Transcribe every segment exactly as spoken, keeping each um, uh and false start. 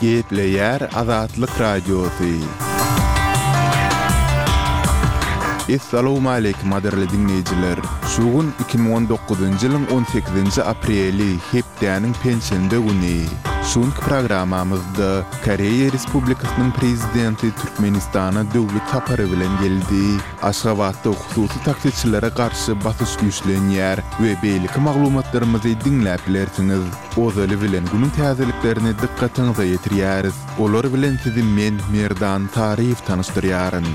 Gepleýär Azatlyk Radiosy. Essalawmaleýkim gadyrly diňleýjiler! Şu gün iki müň on dokuzynjy ýylyň on sekizinji apreli, hepdäniň penşenbe güni. Şu günki programmamyzda Koreýa Respublikasynyň Prezidenti Türkmenistana döwlet sapary bilen geldi. Aşgabatda hususy taksiçilere garşy basyş güýçlenýär we beýleki maglumatlarymyzy diňläp bilersiňiz. Ozaly bilen günüň täzeliklerini dykgatyňyza ýetirýäris. Olar bilen sizi men, Merdan Taryýew tanyşdyrýaryn.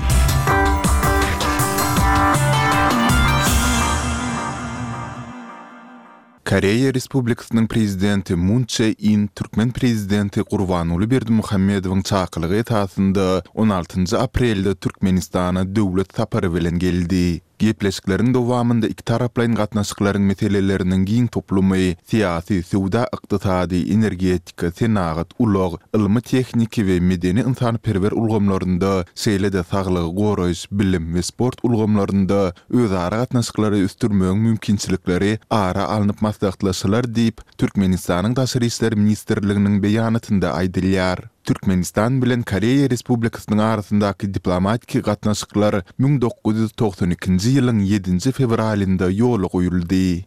Koreýa Respublikasynyň Prezidenti Mun Çže In türkmen Prezidenti Gurbanguly Berdimuhamedowyň çakylygy esasynda on altynjy aprelde Türkmenistana döwlet sapary bilen geldi. Gepleşikleriň dowamynda ikitaraplaýyn gatnaşyklaryň meseleleriniň giň toplumy, syýasy, söwda-ykdysady, energetika, senagat, ulag, ylmy-tehniki we medeni-ynsanperwer ulgamlarynda, şeýle-de saglygy goraýyş, bilim we sport ulgamlarynda özara gatnaşyklary ösdürmegiň mümkinçilikleri ara alnyp maslahatlaşylar diýip, Türkmenistanyň Daşary işler ministrliginiň beýanatynda aýdylýar. Türkmenistan bilen Koreýa Respublikasynyň arasyndaky diplomatiki gatnaşyklar müň dokuz ýüz togsan ikinji ýylyň ýedinji fewralynda ýola goýuldy.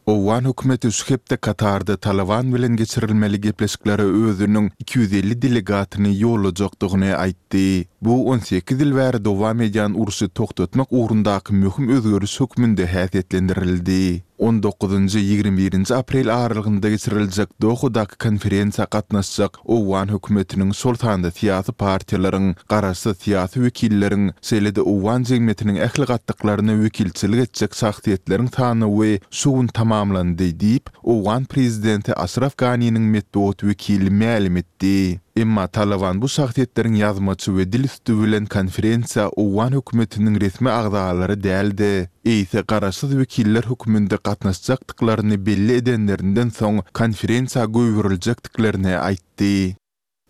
Owgan hökümeti şu hepde Katarda Talyban bilen geçirilmeli gepleşiklere özüniň iki ýüz elli delegatyny ýollajakdygyny aýtdy. Bu on sekiz ýyl bäri dowam edýän urşy togtatmak ugrundaky möhüm özgeriş hökmünde häsiýetlendirildi. On dokuzynjy, ýigrimi birinji aprel aralygynda geçiriljek Dohadaky konferensiýa gatnaşjak owgan hökümetiniň, şol sanda syýasy partiýalaryň, garaşsyz syýasy wekilleriň, şeýle-de owgan jemgyýetiniň ähli gatlaklaryna wekilçilik etjek şahsyýetleriň sanawy şu gün tamamlandy diýip, owgan prezidenti Aşraf Ganiniň metbugat wekili mälim etdi. Emma Talyban bu şahsyýetleriň ýazmaça we dil üsti bilen konferensiýa owgan hökümetiniň resmi agzalary däl-de, eýse garaşsyz wekiller hökmünde gatnaşjakdyklaryny belli edenlerinden soň konferensiýa goýberiljekdiklerini aýtdy.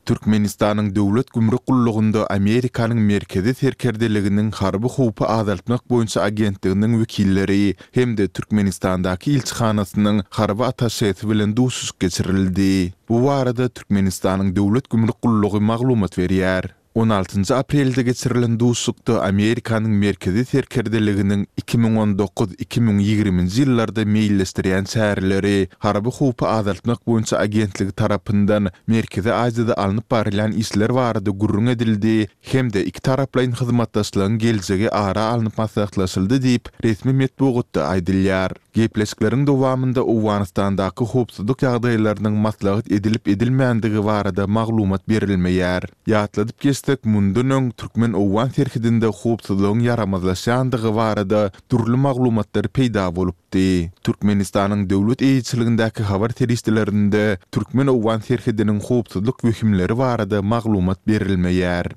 Türkmenistanyň Döwlet gümrük gullugynda Amerikanyň Merkezi serkerdeliginiň harby howpy azaltmak boýunça agentliginiň wekilleri hem-de Türkmenistandaky ilçihanasynyň harby attaşesi bilen duşuşyk geçirildi. Bu barada Türkmenistanyň Döwlet gümrük gullugy maglumat berýär. On altynjy aprelde geçirilen duşuşykda Amerikanyň Merkezi serkerdeliginiň iki müň on dokuz, iki müň ýigriminji ýyllarda meýilleşdirýän çäreleri, harby howpy azaltmak boýunça agentligi tarapyndan Merkezi Aziýada alnyp barylýan işler barada gürrüň edildi hem-de ikitaraplaýyn hyzmatdaşlygyň geljegi ara alnyp maslahatlaşyldy diýip, resmi metbugatda aýdylýar. Gepleşikleriň dowamynda Owganystandaky howpsuzlyk ýagdaýlarynyň maslahat edilip-edilmändigi barada maglumat berilmeýär. Ýatladyp geçsek, mundan öň türkmen-owgan serhedinde howpsuzlygyň ýaramazlaşýandygy barada dürli maglumatlar peýda bolupdy. Türkmenistanyň döwlet eýeçiligindäki habar serişdelerinde türkmen-owgan serhediniň howpsuzlyk wehimleri barada maglumat berilmeýär.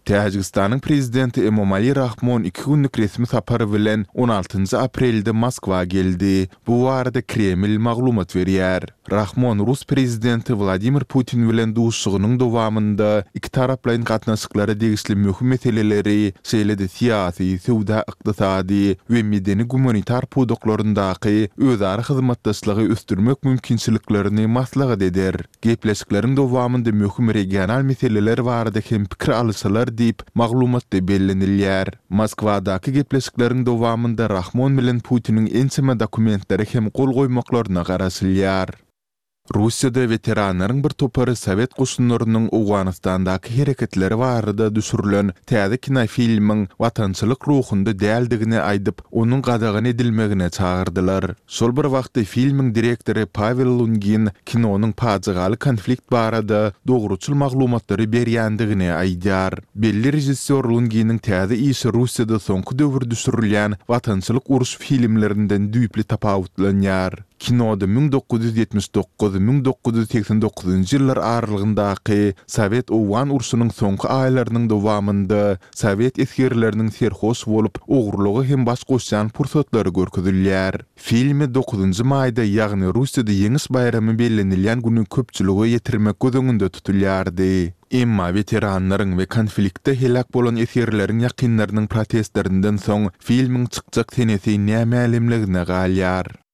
Täjigistanyň Prezidenti Emomali Rahmon iki günlük resmi sapar bilen on altynjy aprelde Moskwa geldi. Bu barada Kreml maglumat berýär. Rahmon rus Prezidenti Wladimir Putin bilen duşuşygynyň dowamynda ikitaraplaýyn gatnaşyklara degişli möhüm meseleleri, şeýle-de syýasy, söwda-ykdysady we medeni-gumanitar pudaklaryndaky özara hyzmatdaşlygy ösdürmek mümkinçiliklerini maslahat eder. Gepleşikleriň dowamynda möhüm regional meseleler barada hem pikir alyşylar diýip, maglumatda bellenilýär. Moskwadaky gepleşikleriň dowamynda Rahmon bilen Putiniň ençeme dokumentlere hem gol goýmaklaryna garaşylýar. Russiýada weteranlaryň bir topary sowet goşunlarynyň Owganystandaky hereketleri barada düşürilen täze kinofilmiň watançylyk ruhunda däldigini aýdyp, onuň gadagan edilmegine çagyrdylar. Şol bir wagtda filmiň direktory Pawel Lungin kinonyň pajygaly konflikt barada dogruçyl maglumatlary berýändigini aýdýar. Belli režissýor Lunginiň täze işi Russiýada soňky döwür düşürilýän watançylyk uruş filmlerinden düýpli tapawutlanýar. Kinoda müň dokuz ýüz ýetmiş dokuz, müň dokuz ýüz segsen dokuzynjy ýyllar aralygyndaky Sowet-owgan urşunyň soňky aýlarynyň dowamynda sowet esgerleriniň serhoş bolup, ogurlyga hem baş goşýan pursatlary görkezilýär. Filmi dokuzynjy maýda, ýagny Russiýada Ýeňiş baýramy bellenilýän güni köpçülige ýetirmek göz öňünde tutulýardy. Emma weteranlaryň we konfliktde heläk bolan esgerleriň ýakynlarynyň protestlerinden soň filmiň çykjak senesi nämälimligine galýar.